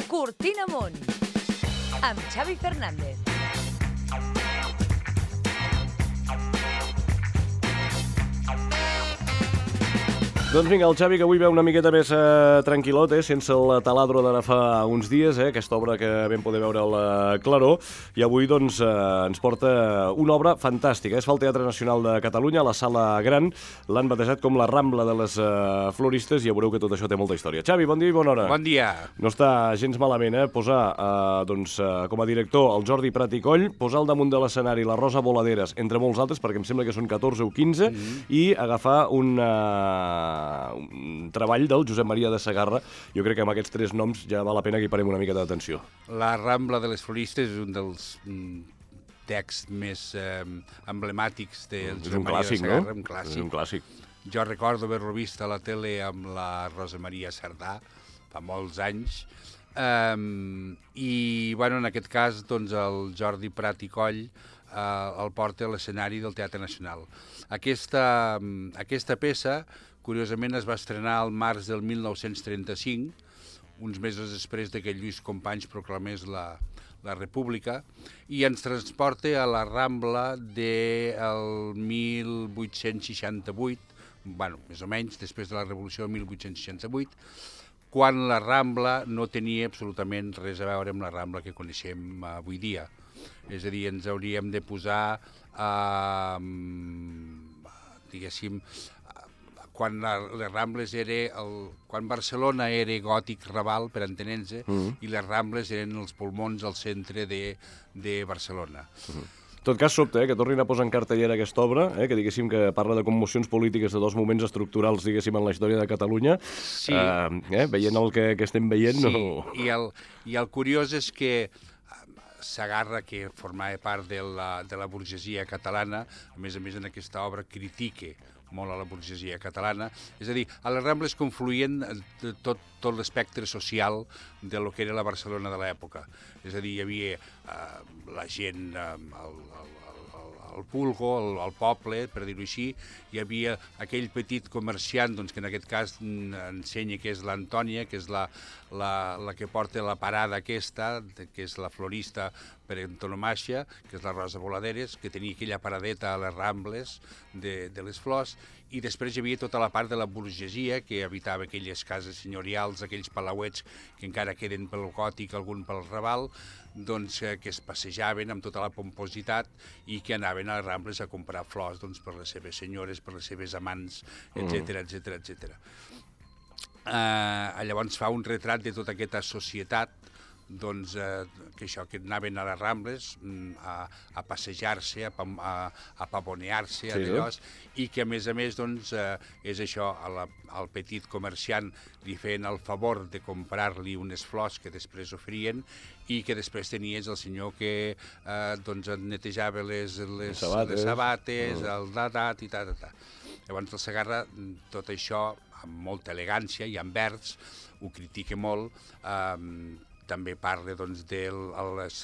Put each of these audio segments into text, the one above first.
Cortina Amunt, amb Xavi Fernández. Doncs vinga, el Xavi, que avui veu una miqueta més tranquil·lot, sense el taladro d'ara fa uns dies, aquesta obra que vam poder veure a la Claror, i avui doncs, ens porta una obra fantàstica. Es fa al Teatre Nacional de Catalunya, a la Sala Gran, l'han batejat com la Rambla de les Floristes, i ja veureu que tot això té molta història. Xavi, bon dia i bona hora. Bon dia. No està gens malament, posar com a director el Jordi Prat i Coll, posar al damunt de l'escenari la Rosa Voladeres, entre molts altres, perquè em sembla que són 14 o 15, i agafar un treball del Josep Maria de Sagarra. Jo crec que amb aquests tres noms ja val la pena que hi parem una mica d'atenció. La Rambla de les Floristes és un dels texts més emblemàtics del Josep Maria de Sagarra. No? Un clàssic. És un clàssic. Jo recordo haver-lo vist a la tele amb la Rosa Maria Sardà fa molts anys. I, bueno, en aquest cas, doncs, el Jordi Prat i Coll el porta a l'escenari del Teatre Nacional. Aquesta peça, curiosament, es va estrenar al març del 1935, uns mesos després que Lluís Companys proclamés la República, i ens transporta a la Rambla del 1868, bueno, més o menys, després de la Revolució del 1868, quan la Rambla no tenia absolutament res a veure amb la Rambla que coneixem avui dia. És a dir, ens hauríem de posar, diguéssim, quan les Rambles quan Barcelona era gòtic Raval, per entenent-se, i les Rambles eren els pulmons al centre de Barcelona. En tot cas, sobte, que tornin a posar en cartellera aquesta obra, que diguéssim que parla de commocions polítiques de dos moments estructurals, diguéssim, en la història de Catalunya. Sí. Veient el que estem veient... Sí, no... i el curiós és que Sagarra, que formava part de la burgesia catalana, a més en aquesta obra critica molt a la burgesia catalana. És a dir, a les Rambles confluïen tot l'espectre social de lo que era la Barcelona de l'època. És a dir, hi havia la gent, el vulgo, el poble, per dir-ho així, hi havia aquell petit comerciant, doncs, que en aquest cas ensenya que és l'Antònia, que és la que porta la parada aquesta, que és la florista per antonomàsia, que és la Rosa Voladeres, que tenia aquella paradeta a les Rambles de les flors, i després hi havia tota la part de la burgesia que habitava aquelles cases senyorials, aquells palauets que encara queden pel gòtic, algun pel Raval, doncs, que es passejaven amb tota la pompositat i que anaven a les Rambles a comprar flors, doncs, per les seves senyores, per les seves amants, etc etc. Llavors fa un retrat de tota aquesta societat, doncs, que anaven a les Rambles a passejar-se, a pavonear-se, i que a més, doncs, és això, al petit comerciant li feien el favor de comprar-li unes flors que després oferien, i que després tenies el senyor que doncs netejava les sabates, el datat i tal. Llavors el Sagarra, tot això, amb molta elegància i amb vers, ho critica molt. També parla, doncs, de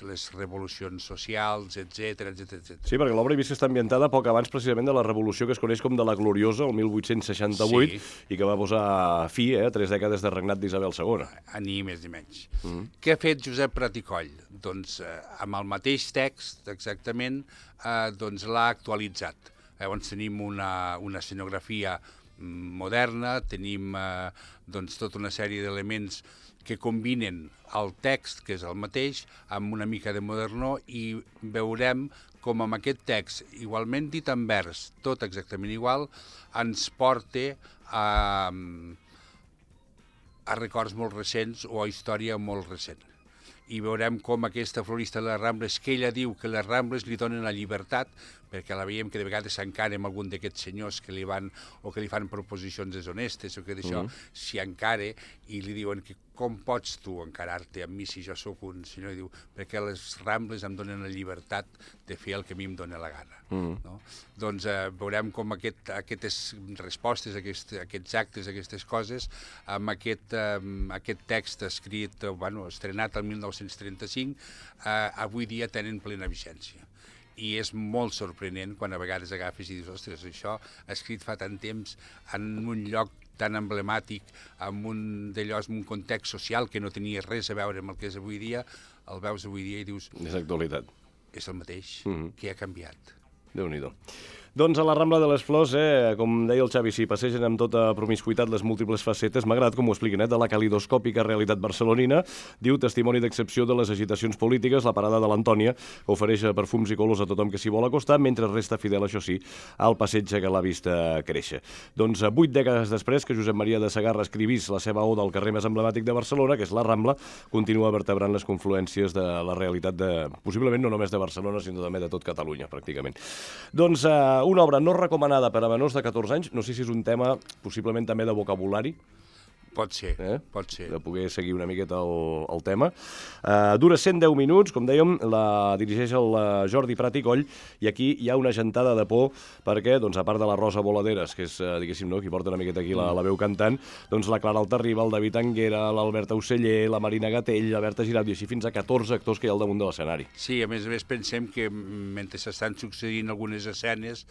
les revolucions socials, etc. Sí, perquè l'obra he vist que està ambientada poc abans precisament de la revolució que es coneix com de la Gloriosa, el 1868, i que va posar fi a 3 dècades de regnat d'Isabel II. Ni més ni menys. Què ha fet Josep Prat i Coll? Doncs, amb el mateix text, exactament, doncs l'ha actualitzat. Llavors tenim una escenografia moderna, tenim doncs tota una sèrie d'elements que combinen el text, que és el mateix, amb una mica de modernor, i veurem com amb aquest text, igualment dit en vers, tot exactament igual, ens porta a records molt recents o a història molt recent. I veurem com aquesta florista de les Rambles, que ella diu que les Rambles li donen la llibertat, perquè la veiem que de vegades s'encara amb algun d'aquests senyors que li fan proposicions deshonestes o que d'això s'hi encara, i li diuen que com pots tu encarar-te amb mi si jo sóc un senyor? I diu, perquè les Rambles em donen la llibertat de fer el que a mi em dóna la gana. No? Doncs veurem com aquestes respostes, aquests actes, aquestes coses, amb aquest text escrit, estrenat el 1935, avui dia tenen plena vigència. I és molt sorprenent quan a vegades agafes i dius, ostres, això escrit fa tant temps en un lloc tan emblemàtic, amb un context social que no tenia res a veure amb el que és avui dia, el veus avui dia i dius... És actualitat. És el mateix, que ha canviat. Déu-n'hi-do. Doncs a la Rambla de les Flors, com deia el Xavi, s'hi passegen amb tota promiscuitat les múltiples facetes. M'ha agradat com ho expliquen, de la calidoscòpica realitat barcelonina. Diu, testimoni d'excepció de les agitacions polítiques, la parada de l'Antònia, que ofereix perfums i colors a tothom que s'hi vol acostar, mentre resta fidel, això sí, al passeig que l'ha vist créixer. Doncs 8 dècades després que Josep Maria de Sagarra escrivís la seva oda al carrer més emblemàtic de Barcelona, que és la Rambla, continua vertebrant les confluències de la realitat possiblement no només de Barcelona, sinó també de tot Catalunya, pràcticament. Doncs una obra no recomanada per a menors de 14 anys, no sé si és un tema possiblement també de vocabulari. Pot ser, pot ser. De poder seguir una miqueta el tema. Dura 110 minuts, com dèiem, la dirigeix el Jordi Prat i Coll, i aquí hi ha una gentada de por, perquè, doncs, a part de la Rosa Voladeres, que és, diguéssim, no, qui porta una miqueta aquí la veu cantant, doncs la Clara Altarriba, el David Anguera, l'Alberta Oceller, la Marina Gatell, la Berta Girat, i així fins a 14 actors que hi ha al damunt de l'escenari. Sí, a més pensem que mentre s'estan succeint algunes escenes,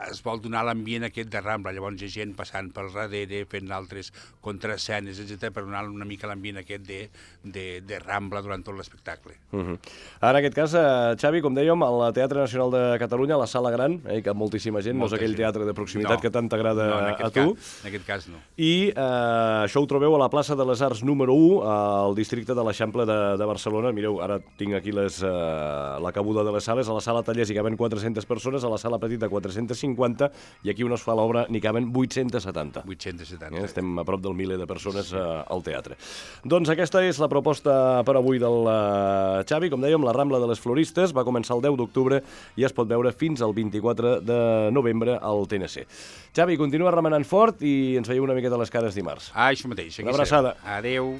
es vol donar l'ambient aquest de Rambla, llavors hi ha gent passant pel darrere, fent altres contraescenes, etc., per donar una mica l'ambient aquest de Rambla durant tot l'espectacle. Ara, en aquest cas, Xavi, com dèiem, al Teatre Nacional de Catalunya, a la Sala Gran, que hi ha moltíssima gent, no és aquell teatre de proximitat que tant t'agrada a tu. En aquest cas no. I això ho trobeu a la plaça de les Arts número 1, al districte de l'Eixample de Barcelona. Mireu, ara tinc aquí la cabuda de les sales. A la sala Tallers hi caben 400 persones, a la sala petita 450, i aquí on es fa l'obra n'hi caben 870. 870. Estem a prop del miler de persones al teatre. Doncs aquesta és la proposta per avui del Xavi. Com dèiem, la Rambla de les Floristes va començar el 10 d'octubre i es pot veure fins al 24 de novembre al TNC. Xavi, continua remenant fort i ens veieu una miqueta les cares dimarts. Això mateix. Una abraçada. Adéu.